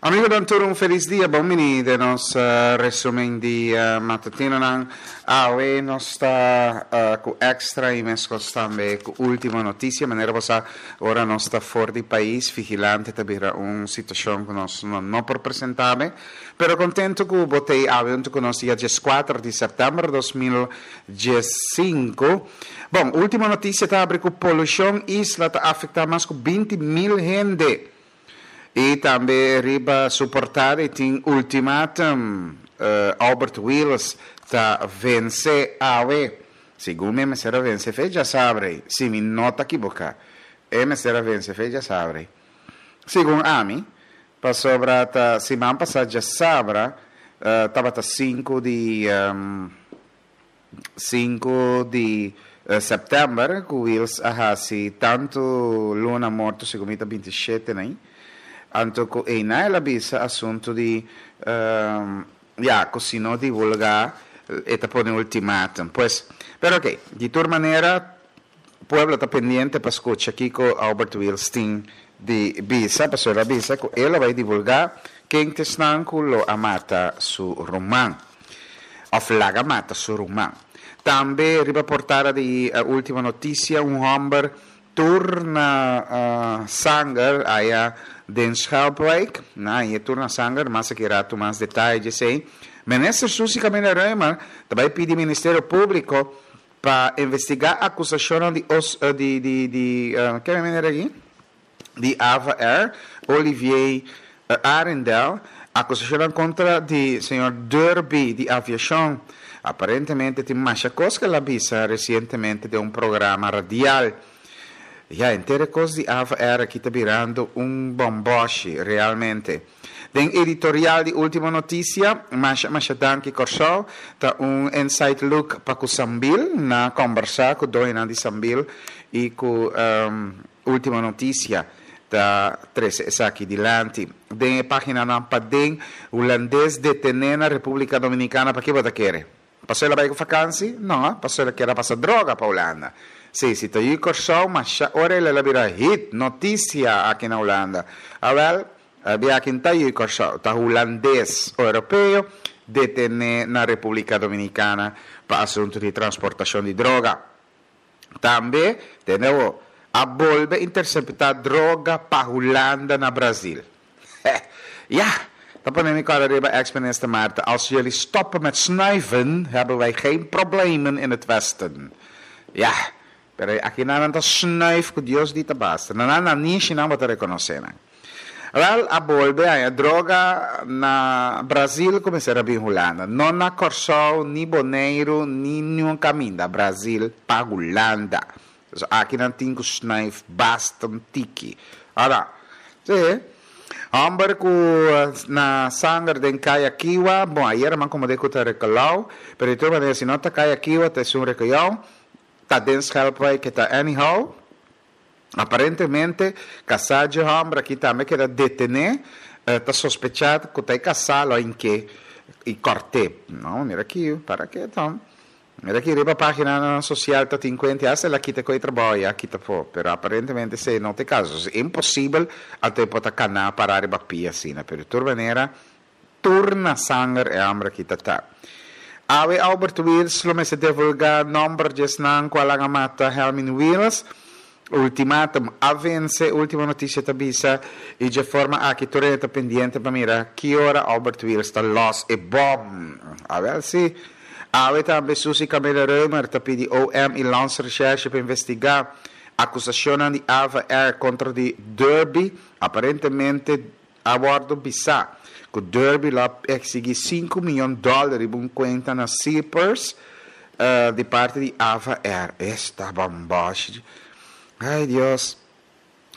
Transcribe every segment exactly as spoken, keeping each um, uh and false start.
Amigonan tur un felis dia, bon bini den nos resumen di matutinonan. Awe nos ta ku Extra i meskos tambe ku Ultimo Noticia. Manera bo sa, ora nos ta for di pais, Vigilante ta bira un situashon ku nos no por presenta be. Pero kontentu ku bo t'ei awe huntu ku nos dia dieskuater di sèptèmber dos mil diesinku. Bon, Ultimo Noticia ta abri ku polushon isla ta afektá mas ku binti mil hende. I tambe riba su portada e tin ultimatum, Albert Wiels ta vense awe. Segun mi e mester a vense fe djasabre ei, si mi no ta kiboká. E mester a vense fe djasabre ei. Segun ami, pasobra ta siman pasá djasabra tabata sinku di. Sinku di sèptèmber ku Wiels a hasi tantu luna morto segun mi ta binti shete nei. Anto ku einan el a bisa asuntu di ya ku si no divulgá e ta pone ultimatum. Pues, pero oke, di tur manera pueblo ta pendiente pa skucha kiko Albert Wiels tin di bisa pasobra el a bisa ku e lo bai divulgá ken ta esnan ku lo a mata su ruman. Of laga mata su ruman. Tambe riba portada di Ultima Noticia un homber tur na sanger aya den Schelpwijk. Na e tur na sanger, mas aki rato mas detaye djesey. Minister Suzy Camelia Römer ta bay pidi Ministerio Publico pa investiga acusacionnan di os di di di ke meneer aki? Di Ava Air, Olivier Arrindell, akusashonnan kontra di señor Derby di aviashon. Aparentemente tin masha kos ku el a bisa resientemente den un programa radial. Ya, henter e kos di Ava Air aki ta birando un bòmbòshi realmente. Den editorial di Ultimo Noticia, masha masha danki Kòrsou, ta un inside look pa ku Sambil, na kòmbersá ku doñonan di Sambil i ku Ultimo Noticia ta trece esaki dilanti. Den e paginanan paden, Hulandes detene na Republica Dominicana pa ke bo ta kere? Paso el a bay cu vakantie? No, paso el a kier a pasa droga pa Hulanda. Si, si ta yu Corsou, masha ora el a bira hit, noticia aki na Hulanda. Awel, bia aki no ta yu Corsou, ta Hulandes Europeo detene na Republica Dominicana pa asunto di transportacion di droga. Tambe, tende awo, a bolbe interseptá droga pa Hulanda na Brazil. Heh, ya! Ta pone mi kòrda riba ex minister Martha, Als jullie stoppen met snuiven, hebben wij geen problemen in het westen. Ya! Pero aki nan nan ta snuif ku Dios di ta basta. Na nan nanishi nan bo ta rekonosé nan. Wel, a bolbe haña droga na Brazil ku mester a bin Hulanda. No na Kòrsou, ni Boneiru, ni niun kaminda. Brazil pa Hulanda. So aki nan tin ku snuif basta un tiki. Ora, si, hòmber ku na sanger den Kaya Kiwa, bon, ayera man komo de ku ta rekolau, pero di tur manera si no ta Kaya Kiwa ta esun rekoyou, ta den Schelpwijk ke ta anyhow. Aparentemente, kasá dje hòmber aki tambe keda detené, ta sospechá ku ta e kasá lo a hink'é i kòrt'é. No, mira aki, para ke ton. Mira aki riba páginanan sosial ta tin kuenta i asta el a kita ku e trabou i a kita afó. Pero aparentemente esei no ta e kaso. Es imposibel anto e por ta kaná pará riba pia asina. Pero di tur manera, tur na sanger e hòmber aki ta ta. Awe Albert Wiels lo mester divulga nomber di esnan cu a laga mata Helmin Wiels. Ultimatum a vence, ultimo noticia ta bisa, y dje forma aki tur hende ta pendiente pa mira ki ora Albert Wiels ta los e bom. Awel si. Awe tambe Suzy Camilla Römer ta pidi O M y Landsrecherche pa investiga acusacionnan di Ava Air contra di Derby. Aparentemente A wordo bisa cu Derby lo a exigi sinku miyon dollar riba un cuenta na Cyprus di parti di Ava Air. Esta bamboshi. Ay Dios.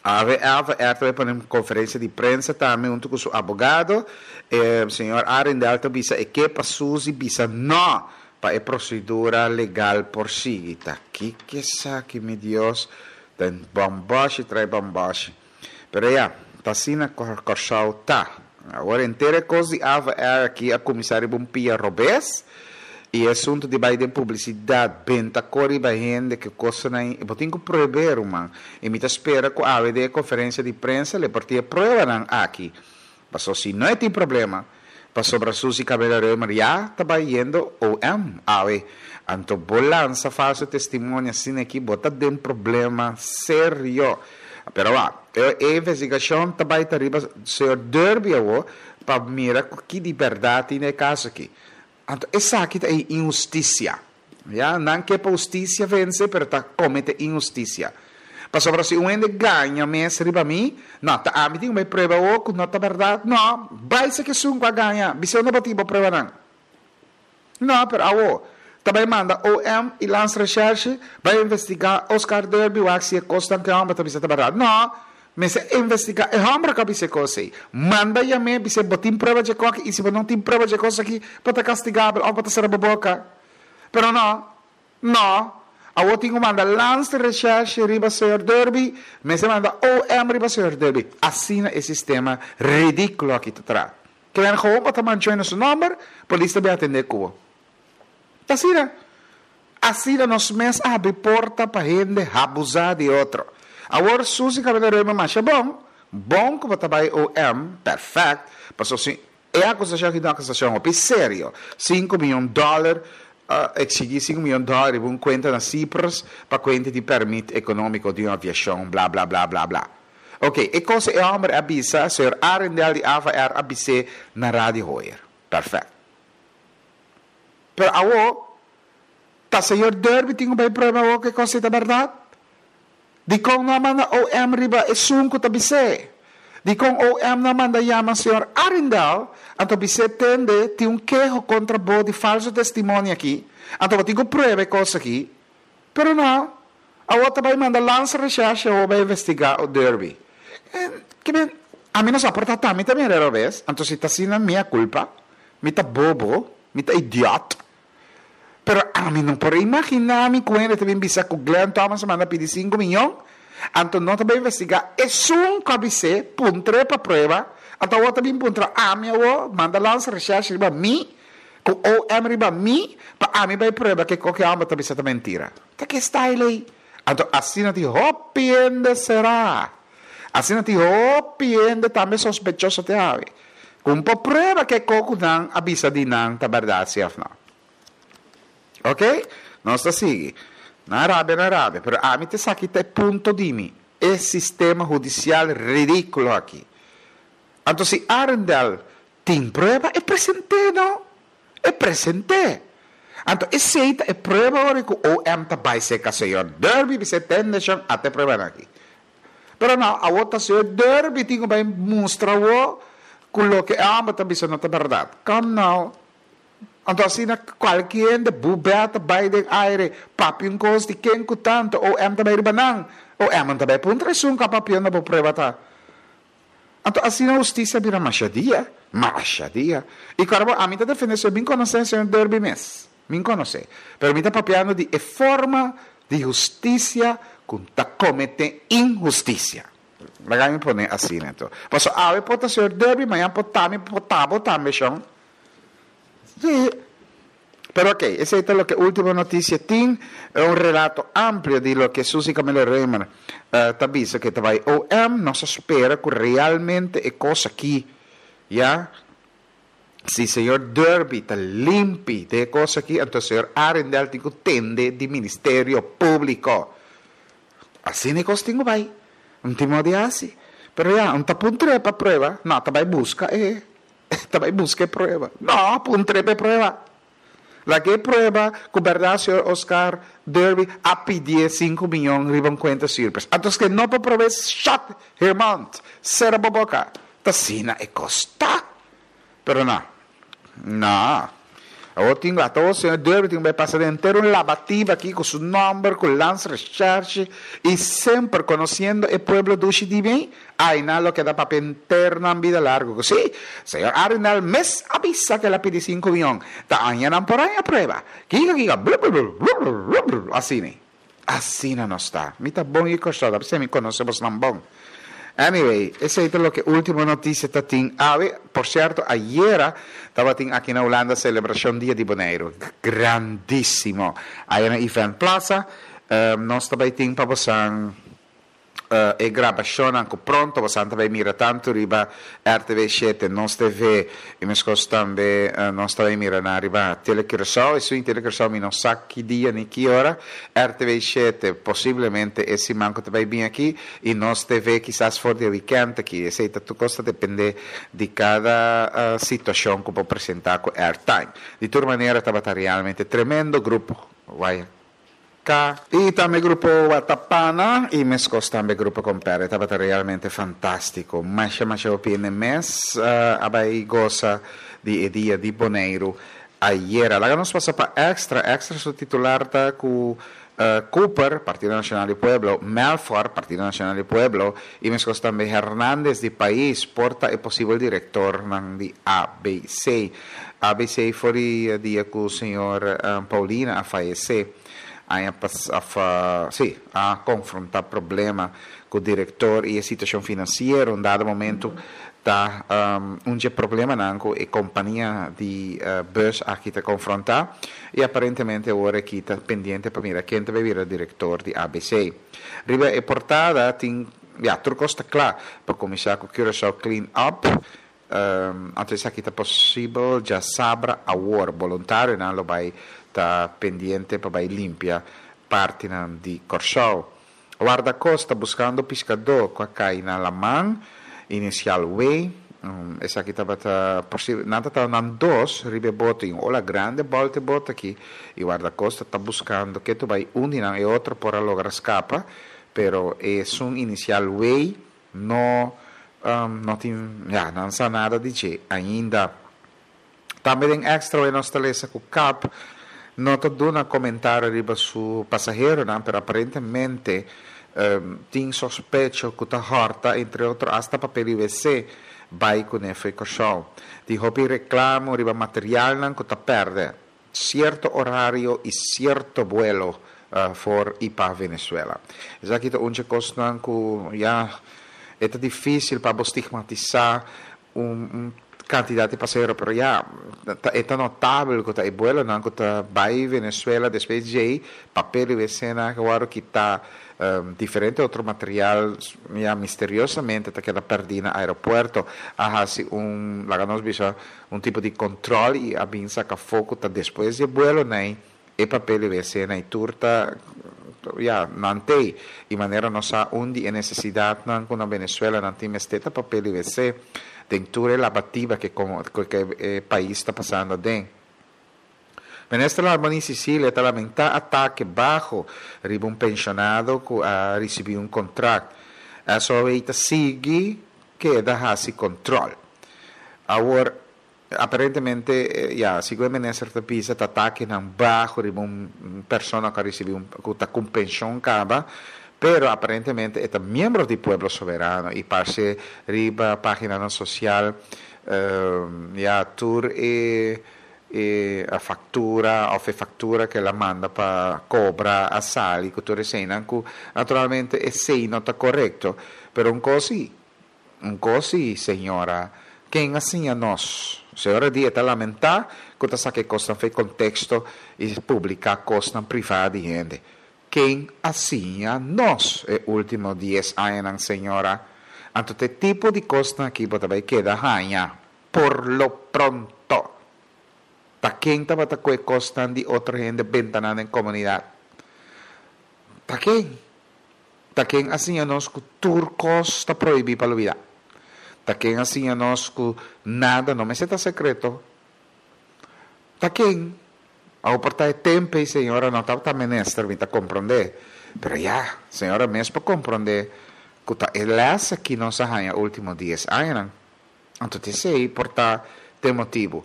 Ave Ava Air ta bay pone un conferencia di prensa tambe hunto cu su abogado. E señor Arrindell ta bisa e ke pa Suzy bisa no pa e procedura legal por sigui. Ta kiko esaki mi Dios. Ta bamboshi trae bamboshi. Pero ya, ta asina Kòrsou ta. Awor henter e kos di Ava Air aki a kuminsá riba un pia robes i e asuntu di bai den publisidat, benta kor riba hende ku kosnan ei, bo tin ku prueb'é ruman. I mi ta spera ku awe den e konferensia di prensa le por tin e pruebanan aki. Paso si no tin problema, pasobra Suzy Camelia Römer ya ta bayendo O M awe. Anto bo lansa falso testimonio asina aki, bo ta den problema serio. Pero wa, e, e investigashon ta bai riba señor Derby awo, pa mira ki di berdat tin e kaso aki. Anto esaki ta inhustisia. Ya, nan ke pa hustisia vense, pero ta kometé inhustisia. Pasobra si un hende gaña mes riba mi, no, ta ami tin un prueba o ku no ta berdat, no, bai serka esun ku a gaña, bis'é no bo tin prueba nan. No, pero awo, ta bai manda O M i Landsrecherche, bai investigá Oscar Derby, wak si e kosnan ku e hòmber ta bisa ta berdat. No, mester investigá e hòmber ku a bisa kos ei. Manda yam'é, bis'é bo tin prueba di kos i si bo no tin prueba di kos aki, bo ta kastigabel òf bo ta sera bo boka. Pero no, no, awo tin ku manda Landsrecherche riba señor Derby, mester manda O M riba señor Derby. Asina e sistema ridíkulo aki ta traha. Ke men gewoon pa mancha su nòmber, polis ta bin atendé ku bo. Asina. Asina nos mes a habri porta pa hende abusá di otro. Awor Suzy Camelia Römer, masha bon, bon ku bo ta bai O M, perfect. Paso si e akusashon aki ta un akusashon hopi serio. sinku mion dòler, uh, eksigí sinku mion dòler un kuenta na Cyprus pa kuenta di pèrmit ekonómiko di un aviashon, bla bla bla bla bla. Ok, e kos e hòmber a bisa, señor Arendel di A V R a bis'é na Radio Hoyer. Perfect. Pero awo, ta señor Derby tin un prueba awo ku e kos ta berdat? Di kon no manda O M riba esun ku ta bis'é. Di kon O M no manda yama señor Arendel, anto bis'é: "Tende, tin un keho kontra bo di falso testimonio aki. Anto bo tin ku prueba kos aki." Pero no, awo ta bai manda Landsrecherche o bai investigá o Derby. Eh, ke men, ami no sa por ta tambe tambe era bes, anto si ta asina mi kulpa, mi ta bobo, mi ta idiot. Pero ami no por imaginá mi ku hende ta bin bisa ku Glenn Thomas manda pidi sinku mion, anto no ta bai investigá esun ku a bis'é, puntr'é pa prueba, anto awo ta bin puntra ami awo, manda Landsrecherche riba mi, ku O M riba mi, pa ami bai prueba ku loke hòmber ta bisa ta mentira. Ta ki style ei? Anto asina tin hopi hende será. Asina tin hopi hende tambe sospechoso te awe. Ku no por prueba ku kos nan a bisa di nan ta berdat si òf no. Ok? Nos ta sigui. Na rabia, na rabia. Pero ami ta esaki ta punto di mi. E sistema hudisial ridíkulo aki. Anto si Arendel tin prueba, e present'é, no? E present'é. Anto esei ta e prueba ora ku O M ta bai serka señor Derby, bis'é: "Tende shon, at'e prueba aki." Pero no, awo ta señor Derby tin ku bai mustra wo ku loke e hòmber ta bisa no ta berdat. Come now. Anto asina kualke hende bubeta bai den aire, papia un kos di ken ku tantu, O M ta bai riba nan. O M ta bai puntra esun ku a papia unda bo prueba ta. Anto asina hustisia bira masha dia, masha dia. I klaro, ami ta defendé, so mi konosé señor Derby mes. Mi konosé. Pero mi ta papiando di e forma di hustisia ku ta kometé inhustisia. Laga mi pone asina anto. Paso awe por ta señor Derby, mañan por ta mi, por ta bo tambe shon. Si. Pero ok, esei ta loke Último Notisia tin, un relato amplio di loke Suzy Camelia Römer uh, ta bisa ku ta bai O M. Nos ta spera ku realmente e kos aki, ya, si señor Derby ta limpi di e kos aki, anto señor Arendel tin ku tende di Ministerio Públiko. Asina e kos tin ku bai. No tin moda di hasi. Pero ya, no ta puntr'é pa prueba, no, ta bai buska e, ta bai buska prueba. No, puntr'é pa prueba. Lag'é prueba ku berdat señor Oscar Derby a pidi sinku mion riba un kuenta Cyprus. Anto ku no por prueba, shut her mouth. Sera bo boka. Ta asina e kos ta. Pero no. No. Awor tin ku señor Derby tin ku pasa henter un lavativa aki ku su nòmber, ku Landsrecherche i semper konosiendo e pueblo dushi di mi, ai na lo keda papia henter nan bida largu. Si, señor Arendel mes a bisa ku el a pidi sinku mion. Ta aña nan por aña prueba. Kiko kiko blu blu blu blu blu blu asina. Asina no ta. Mi ta bon i kostado, pasobra mi konosé nan bon. Anyway, esei ta loke Último Notisia ta tin awe. Por sierto, ayera tabatin aki na Hulanda selebrashon Dia di Boneiru. Grandísimo. Ei na Event Plaza, um, nos tambe tin pa boso Uh, e grabashon ku pronto bo ta bai mira tantu riba R T V shete, Nos T V i meskos tambe uh, nos ta bai mira na riba Telecuraçao. Esei na Telecuraçao mi no sa ki dia ni ki ora. R T V shete posiblemente e siman ku ta bai bin aki i Nos T V kisas for di weekend aki. Esei ta tur kos ta dependé di kada uh, situashon ku por presentá ku airtime. Di tur manera, tabata realmente tremendo grupo. Vai K. I tambe grupo Watapana i meskos tambe grupo Compare. Tabata realmente fantástiko. Masha masha hopi mes uh, a bai gosa di Dia di Boneiru ayera. Laga nos pasa pa Extra. Extra su titular ta ku uh, Cooper, Partido Nashonal di Pueblo, Melfor, Partido Nashonal di Pueblo, i meskos tambe Hernandez di Pais, por ta e posibel direktor di A B C. A B C for di dia ku señor um, Paulina a fayesé a, a, sí, a konfrontá problema ku e direktor i e situashon finansiero. Un dado momento ta um, un problema ku e kompania di uh, bus aki ta konfrontá i aparentemente awor aki ta pendiente pa mira ken ta bira direktor di A B C. Riba e portada tin ya tur kos ta kla pa kuminsá ku Curaçao Clean Up. Um, anto aki ta posibel djasabra awor voluntarionan lo bai ta pendiente pa bai limpia parti di Kòrsou. Wardakosta buskando piskadó ku a kai na laman, inisial W. Um, esaki tabata posibel, nan ta nan dos riba bote, un ola grandi bòltu bote aki i Wardakosta ta buskando ku tu bai un i otro por a logra skapa, pero e un inisial W no um, no tin ya no sa nada di dje ainda. Tambe den Extra nos ta lesa ku C A B no ta duna komentario riba su pasaheronan, pero aparentemente um, tin sospecho ku ta hòrta, entre otro, hasta papel W C bai kuné for di Kòrsou. Tin hopi reklamo riba materialnan ku ta pèrdè sierto orario i sierto vuelo uh, for i pa Venezuela. Esaki ta un kos ku ya ta difísil pa stigmatisá un, un kantidat di pasahero, pero ya ta notabel ku e vuelonan ku ta bai Venezuela despues di papel W C nan awor ku ta um, diferente otro material ya misteriosamente ta keda pèrdí na aeropuerto. A hasi un, laga nos bisa, un tipo di kontròl i a bin saka afó ku ta despues di vuelo nei e papel W C nan tur ta ya nan t'ei i manera nos sa un di nesesidatnan ku na Venezuela nan tin mester ta papel W C den tur e labativa ku komo ku e pais ta pasando den. Minister Larmonie Cecilia ta lamentá atake baho riba un penshonado ku a risibí un kontrakt. S O W ta sigui keda hasi kontròl. Awor, aparentemente, ya, segun e minister ta bisa, atakenan baho riba un persona ku a risibí un ku ta ku penshon kaba, pero aparentemente e ta miembro di Pueblo Soberano i parse riba página sosial uh, ya tur e e a faktura òf e faktura ku el a manda pa kobra a sali ku tur eseinan ku naturalmente esei no ta korekto. Pero un kos un kos, señora, ken a siña nos? Señora di ta lamentá ku ta saka kos for di konteksto i publiká kos privá di hende. Ken a siña nos e último dies añanan, señora? Anto e tipo di kos aki bo ta bai keda haña por lo pronto. Ta ken tabata kue kos di otro hende benta nan den komunidat? Ta ken? Ta ken a siña nos ku tur kos ta prohibí pa lubidá? Ta ken a siña nos ku nada no mester ta sekreto? Ta ken? Awor por ta tempu, señora no ta minister, mi ta komprondé. Pero ya, señora mes por komprondé ku ta e les ku nos a haña último dies añanan. Anto esei por ta e motibu.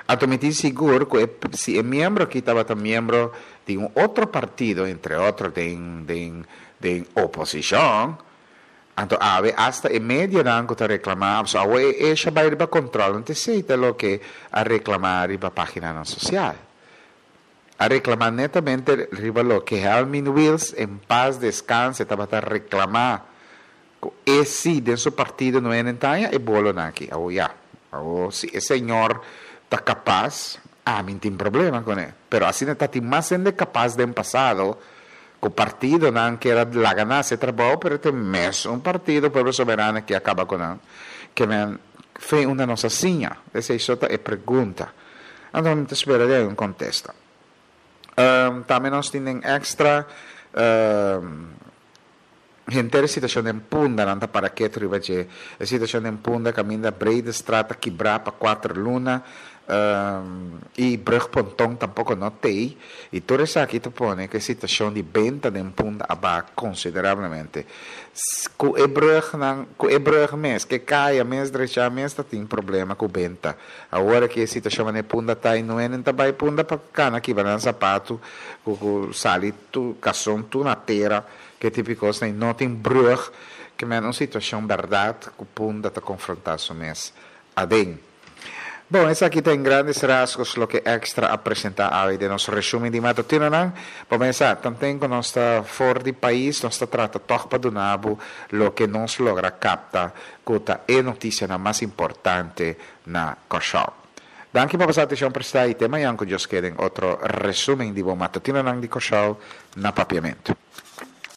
Anto mi ta sigur ku si e miembro aki tabata miembro di un otro partido, entre otro di, di, di oposishon, anto awe hasta e medionan ku ta reklamá, so awe e e bai riba kontròl, anto esei ta loke a reklamá riba página sosial. A reklamá netamente riba loke Helmin Wiels, en paz descanse, tabata reklamá. E si den su partido no ta e bolonan aki. Oh ya. Oh, si e señor ta kapas, ami no tin problema kuné. Pero asina ta tin mas hende kapas den pasado, ku Ku partidonan ku a laga nan hasi trabou, pero tin mes un partido, Pueblo Soberano, ku a kaba ku nan. Ke men fo'i unda nos a siña? Esei ta e pregunta. Anto, mi ta spera un kontesta. Um, tambe nos tin Extra um, henter situashon den Punda, nan ta para ketu riba dje. E situashon den Punda, kaminda Breedestraat kibrá pa kuater luna um, i brugponton tampoko no tin. I tur esaki ta pone ku e situashon di benta den Punda a baha konsiderablemente. Ku e brug nan, ku e brug mes, ku kaya mes, drecha mes, tin problema ku benta. Awor ku e situashon na Punda ta i no ta bai Punda pa kana kibra nan sapatu, ku, ku sali tur karson tur na tera, ku típiko no tin brug, ke men un situashon berdat ku Punda ta konfrontá su mes aden. Bon, esaki ta grandes rasgos loke Extra a presentá awe den nos resumen di matutino nan. Kuminsá, tambe ku nos ta for di pais, nos ta trata tòg pa duna bo loke nos logra kapta ku ta e notisia mas importante na Kòrsou. Danki pa boso atenshon prestá i te mañan ku Dios ke otro resumen di matutino nan di Kòrsou na Papiamentu.